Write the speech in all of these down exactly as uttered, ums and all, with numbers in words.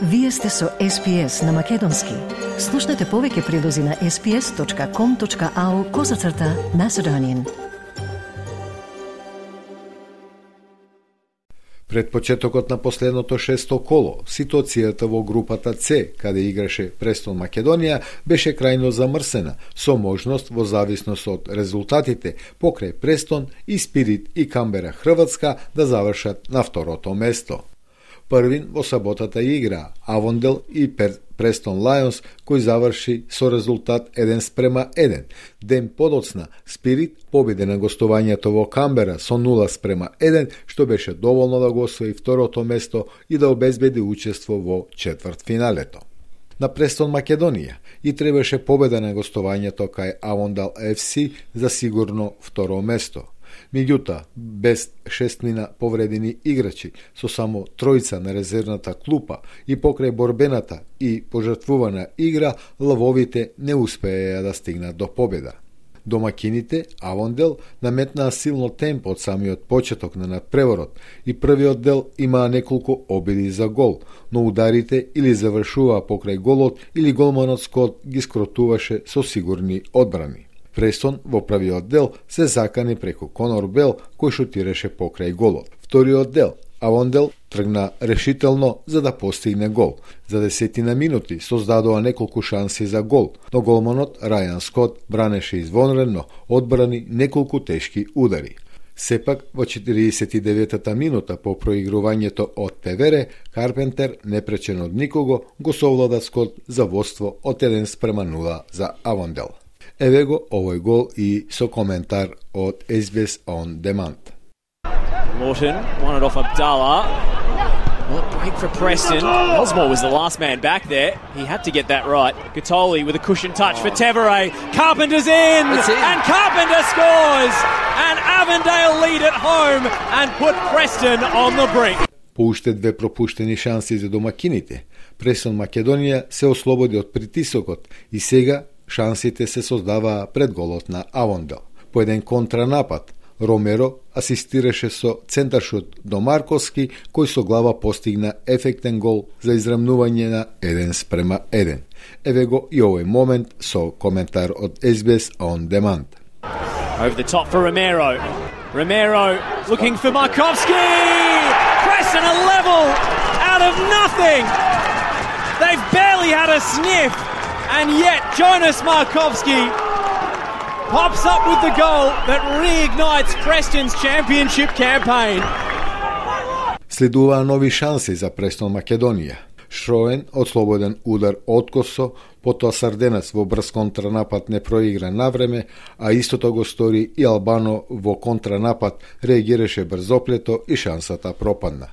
Вие сте со Ес Пи Ес на Македонски. Слушнете повеќе прилози на ес пи ес точка ком точка ау козацрта Macedonian. Пред почетокот на последното шесто коло, ситуацијата во групата С, каде играше Престон Македонија, беше крајно замрсена, со можност во зависност од резултатите покрај Престон и Спирит и Камбера Хрватска да завршат на второто место. Првин во саботата игра Авондел и Престон Лајонс, кој заврши со резултат еден спрема еден. Ден подоцна, Спирит победи на гостувањето во Камбера со нула спрема еден, што беше доволно да го освои второто место и да обезбеди учество во четвртфиналето. На Престон Македонија и требаше победа на гостувањето кај Авондел Еф Си за сигурно второ место. Меѓутоа, без шестмина повредени играчи, со само тројца на резервната клупа и покрај борбената и пожртвувана игра, лавовите не успееја да стигнат до победа. Домакините, Авондел, наметнаа силно темпо од самиот почеток на надпреворот и првиот дел имаа неколку обиди за гол, но ударите или завршуваа покрај голот или голманот Скот ги скротуваше со сигурни одбрани. Престон во првиот дел се закани преку Конор Бел, кој шутираше покрај голот. Вториот дел, Авондел тргна решително за да постигне гол. За десетина минути создадоа неколку шанси за гол, но голманот Рајан Скот бранеше извонредно, одбрани неколку тешки удари. Сепак, во четириесет и деветата минута по проигрувањето од Певере, Карпентер, непречен од никого, го совлада Скот за водство од еден спрема нула за Авондел. Еве го овој гол и со коментар од Ес Би Ес On Demand. Lawton won it off Abdallah. Well, break for Preston. Osmore was the last man back there. He had to get that right. Gatoli with a cushion touch for Tevere. Carpenter's in, in, and Carpenter scores. And Avondale lead at home and put Preston on the brink. По уште две пропуштени шанси за домакините, Престон Македонија се ослободи од притисокот и сега шансите се создаваа пред голот на Авондел. По еден контранапад, Ромеро асистираше со центаршут до Марковски, кој со глава постигна ефектен гол за израмнување на еден спрема еден. Еве го и овој момент со коментар од Ес Би Ес On Demand. Over the top for Romero. Romero looking for Markovski. Preston a level out of nothing. They've barely had a sniff. And yet Jonas Markovski pops up with the goal that reignites Preston's championship campaign. Следуваа нови шанси за Престон Македонија. Шроен ослободен удар откосо, потоа Сарденец во брз контранапад не проигра навреме, а истото го стори и Албано во контранапад реагираше брзоплето и шансата пропадна.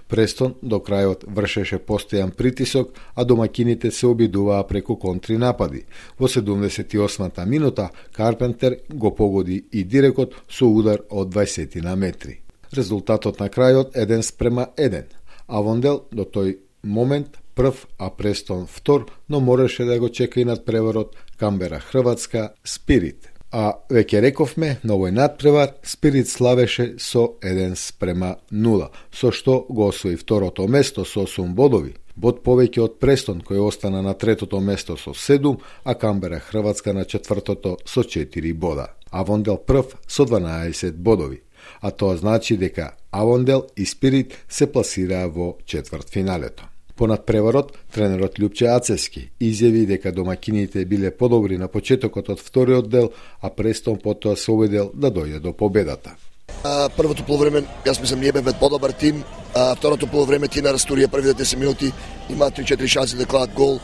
Престон до крајот вршеше постојан притисок, а домакините се обидуваа преку контри напади. Во седумдесет и осмата минута Карпентер го погоди и дирекот со удар од дваесет на метри. Резултатот на крајот еден спрема еден. Авондел до тој момент прв, а Престон втор, но мораше да го чека и надпреварот Камбера Хрватска Спирит. А веќе рековме, на овој надпревар Спирит славеше со еден спрема нула, со што го освои второто место со осум бодови. Бод повеќе од Престон, кој остана на третото место со седум, а Камбера Хрватска на четвртото со четири бода. Авондел прв со дванаесет бодови. А тоа значи дека Авондел и Спирит се пласираа во четвртфиналето. По надпреварот, тренерот Љупче Ацевски изјави дека домакините биле подобри на почетокот од вториот дел, а Престон потоа се обидел да дојде до победата. А, првото полувреме, јас мислам, ние бевме подобар тим, а второто полувреме Тина Растурија првите десет минути има три-четири шанси да кладат гол,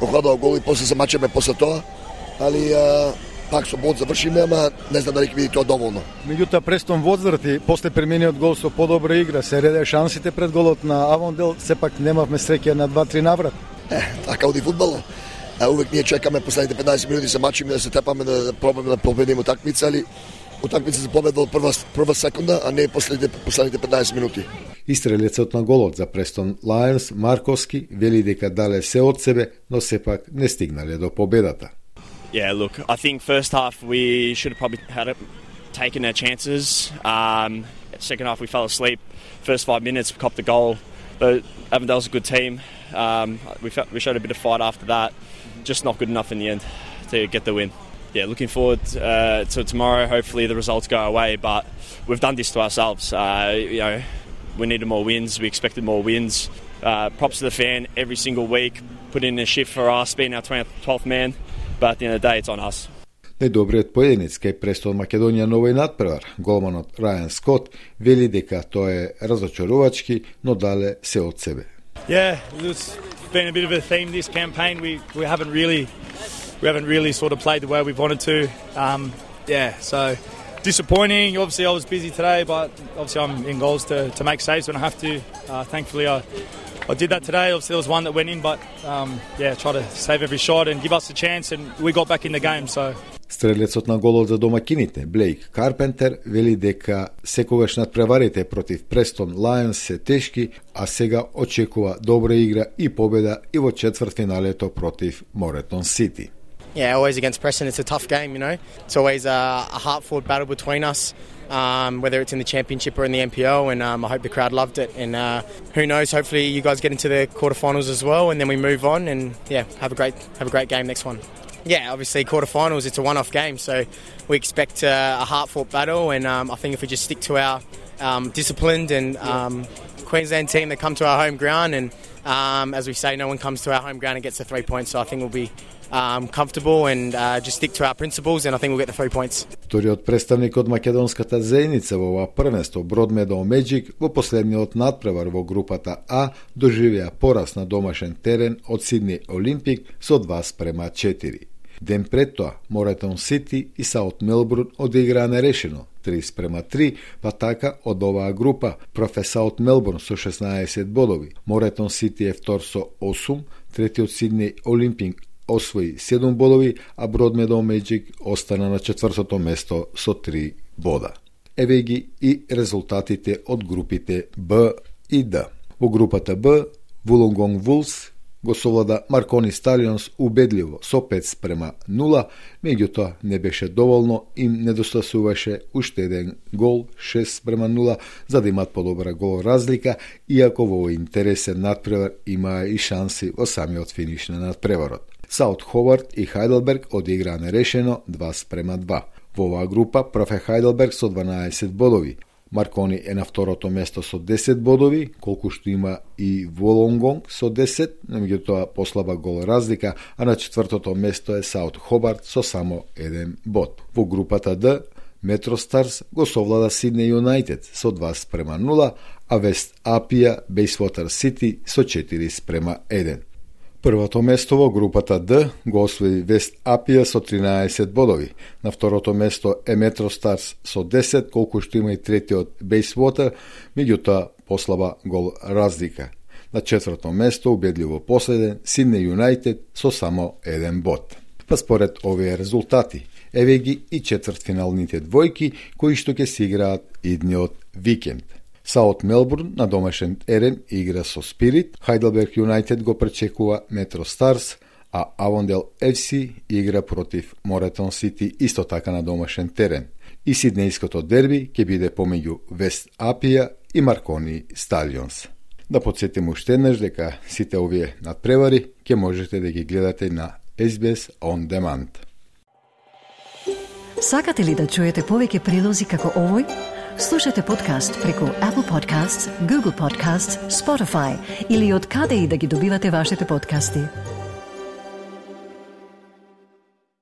окладаа гол и после се мачеме после тоа, али а, пак со бод завршиме, ама не знам дали ќе биде тоа доволно. Меѓутоа Престон возврати, после премениот гол со подобра игра, се реде шансите пред голот на Авондел, сепак немавме среќа на два-три наврат. Е, така оди фудбал. А увек ние чекаме последните петнаесет минути се мачиме да се тепаме да пробаме да победиме утакмица, али утакмица се победила прва прва секунда, а не последните последните петнаесет минути. Истрелецот на голот за Престон Лајонс Марковски вели дека дале се од себе, но сепак не стигнале до победата. Yeah, look, I think first half we should have probably had it, taken our chances. Um, second half we fell asleep. First five minutes we copped the goal. But Avondale's a good team. Um, we, felt, we showed a bit of fight after that. Just not good enough in the end to get the win. Yeah, looking forward uh, to tomorrow. Hopefully the results go away, but we've done this to ourselves. Uh, you know, we needed more wins. We expected more wins. Uh, props to the fan every single week, put in a shift for us, being our twelfth man, but at the end of the day, it's on us. Најдобриот поединец кај Престон Македонија на овој надпревар, голманот Рајан Скот, вели дека тоа е разочарувачки, но дале се од себе. Yeah, it's been a bit of a theme this campaign. We we haven't really we haven't really sort of played the way we've wanted to. Um, yeah, so disappointing. Obviously, I was busy today, but obviously I'm in goals to, to make saves when I have to. Uh, thankfully, I, I did that today. Obviously, there was one that went in, but um, yeah, try to save every shot and give us a chance, and we got back in the game. So. Стрелецот на голот за домакините, Блейк Карпентер, вели дека секогаш надпреварите против Престон Лајонс се тешки, а сега очекува добра игра и победа и во четвртфиналето против Моретон Сити. Yeah, always against Preston. It's a tough game, you know. It's always a, a hard-fought battle between us, um, whether it's in the Championship or in the N P L, and um, I hope the crowd loved it. And uh, who knows, hopefully you guys get into the quarterfinals as well, and then we move on, and yeah, have a great have a great game next one. Yeah, obviously quarterfinals, it's a one-off game, so we expect uh, a hard-fought battle, and um, I think if we just stick to our um, disciplined and um, Queensland team that come to our home ground, and um, as we say, no one comes to our home ground and gets the three points, so I think we'll be um, comfortable and uh, just stick to our principles, and I think we'll get the three points. Вториот представник од македонската заедница во ова првенство, Broadmeadow Magic, во последниот надпревар во групата А доживеа пораз на домашен терен од Сидни Олимпик со два спрема четири. Ден пред тоа, Моретон Сити и Саут Мелбурн одиграа нерешено три спрема три, па така од оваа група профе Саут Мелбурн со шеснаесет бодови, Моретон Сити е втор со осум, третиот Сидни Олимпик освои седум бодови, а Broadmeadow Magic остана на четвртото место со три бода. Еве ги и резултатите од групите Б и Д. Во групата Б, Wollongong Wolves го совлада Маркони Сталионс убедливо со пет спрема нула, меѓутоа не беше доволно, им недостасуваше уште еден гол, шест спрема нула, за да имат подобра гол разлика, иако во интересен надпревар имаа и шанси во самиот финиш на надпреварот. Саут Ховард и Хайделберг одиграа нерешено два спрема два. Во оваа група профе Хайделберг со дванаесет бодови, Маркони е на второто место со десет бодови, колку што има и Wollongong со десет, меѓутоа послаба гол разлика, а на четвртото место е Саут Хобарт со само еден бод. Во групата Д, Метро Старс го совлада Сиднеј Юнайтед со два спрема нула, а Вест Апија Бејсвотер Сити со четири спрема еден. Првото место во групата Д го освои Вест Апија со тринаесет бодови. На второто место е Метро Старс со десет, колку што има и третиот Бејсвотер, меѓутоа послаба гол разлика. На четврто место, убедливо последен, Сиднеј Юнайтед со само еден бод. Па според овие резултати, еве ги и четвртфиналните двојки кои што ќе се играат идниот викенд. Саут Мелбурн на домашен терен игра со Спирит, Хайделберг Юнайтед го пречекува Метро Старс, а Авондел Еф Си игра против Моретон Сити исто така на домашен терен. И сиднејското дерби ќе биде помеѓу Вест Апија и Маркони Сталионс. Да подсетим уште еднаш дека сите овие надпревари ќе можете да ги гледате на Ес Би Ес On Demand. Сакате ли да чуете повеќе прилози како овој? Слушате подкаст преку Apple Podcasts, Google Podcasts, Spotify или од каде и да ги добивате вашите подкасти.